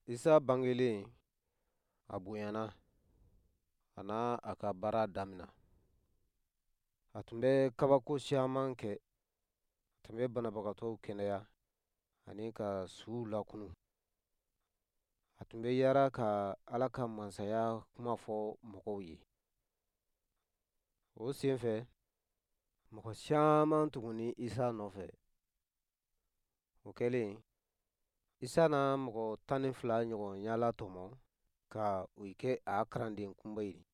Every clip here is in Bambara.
Isa bangelen, a bonyana, a na a ka baara damina. A tun bɛ kabako siyaman kɛ. A tun bɛ banabagatɔw kɛnɛya ani ka suw lakunun. A tun bɛ yaara ka Ala ka masaya kuma fɔ mɔgɔw ye. O sen fɛ, mɔgɔ caman tugunni Isa nɔfɛ. O kɛlen, Isa na mɔgɔ 12 ɲɔgɔn ɲɛlatɔmɔ ka u kɛ a kalanden kunba ye.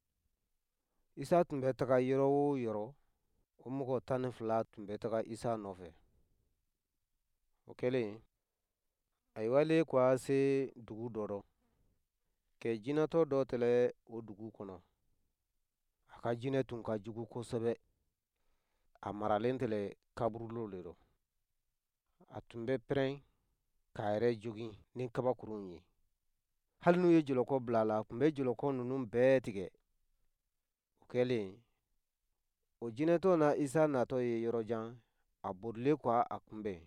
Isa tun bɛ taga yɔrɔ o yɔrɔ, o mɔgɔ 12 tun bɛ taga Isa nɔfɛ. O kɛlen, ayiwa ko a se dugu dɔ rɔ, kɛ jinɛtɔ dɔ tɛlɛ o dugu kɔnɔ. A ka jinɛ tun ka jugu kosɛbɛ. A maralen tɛlɛ kaburudo le rɔ. A tun bɛ pɛrɛn k'a yɛrɛ jogin ni kabakurunw ye. Hali n'u ye jɔlɔkɔ bila a la, a tun bɛ jɔlɔkɔ ninnu bɛɛ tigɛ. O kɛlen, o jinɛtɔ na Isa natɔ ye yɔrɔ jan, a borilen ko a kunbɛn,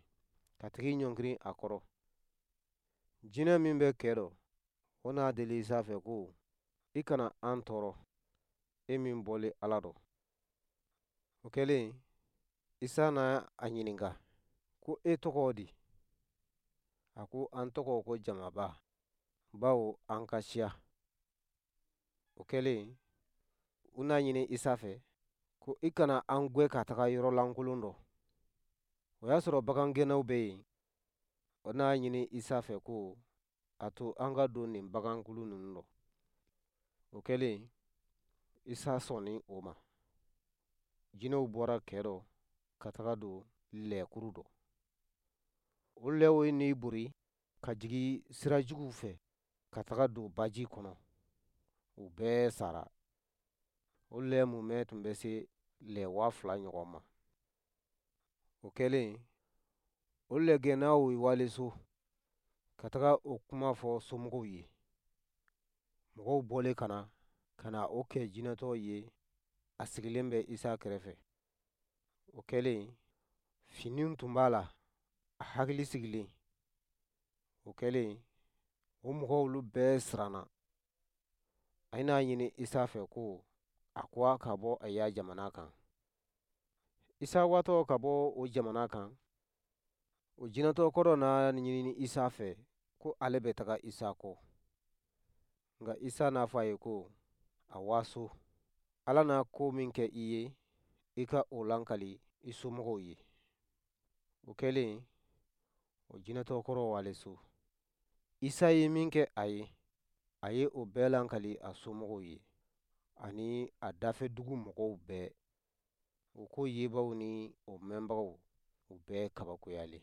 ka tigi ɲɔngirin a kɔrɔ. Jinɛ min bɛ kɛ dɔ, o n'a deli Isa fɛ ko, i kana an tɔɔrɔ, e min bɔlen Ala dɔ. O kɛlen, Isa na a ɲininka ko e tɔgɔ di? A ko an tɔgɔ ko jamaba, bawo an ka siya. O kɛlen, u n'a ɲini Isa fɛ ko i kana an gwɛ ka taga yɔrɔ lankolon dɔ. O y'a sɔrɔ bagangɛnnaw bɛ yen. O n'a ɲini Isa fɛ ko a to an ka don nin bagankulu ninnu dɔ. O kɛlen, Isa sɔnni o ma. Jinɛw bɔra kɛ dɔ ka taga don lɛkuru dɔ. O lɛw ye n'i bori ka jigin sira juguw fɛ ka taga don baji kɔnɔ. U bɛɛ sara. O lɛ mumɛ tun bɛ se lɛ 2000 ɲɔgɔn ma. O kɛlen, o lɛgɛnnaw ye wale so ka taga o kuma fɔ somɔgɔw ye. Mɔgɔw bɔlen ka na ka na o kɛ jinɛtɔ ye, a sigilen bɛ Isa kɛrɛfɛ. O kɛlen, finiw tun b'a la, a hakili sigilen. O kɛlen, o mɔgɔw olu bɛɛ siranna. A n'a ɲini Isa fɛ ko a ko a ka bɔ a ya jamana kan. Isa watɔ ka bɔ o jamana kan, o jinɛtɔ kɔrɔ n'a ɲini Isa fɛ ko ale bɛ taga Isa kɔ. Nka Isa n'a fɔ a ye ko, a waso, Ala n'a ko min kɛ i ye, i ka o lankali i somɔgɔw ye. O kɛlen, o jinɛtɔ kɔrɔ wale so. Isa ye min kɛ a ye, a ye o bɛɛ lankali a somɔgɔw ye, ani a dafɛdugu mɔgɔw bɛɛ. O ko yebaw ni o mɛnbagaw, u bɛɛ kabakoyalen.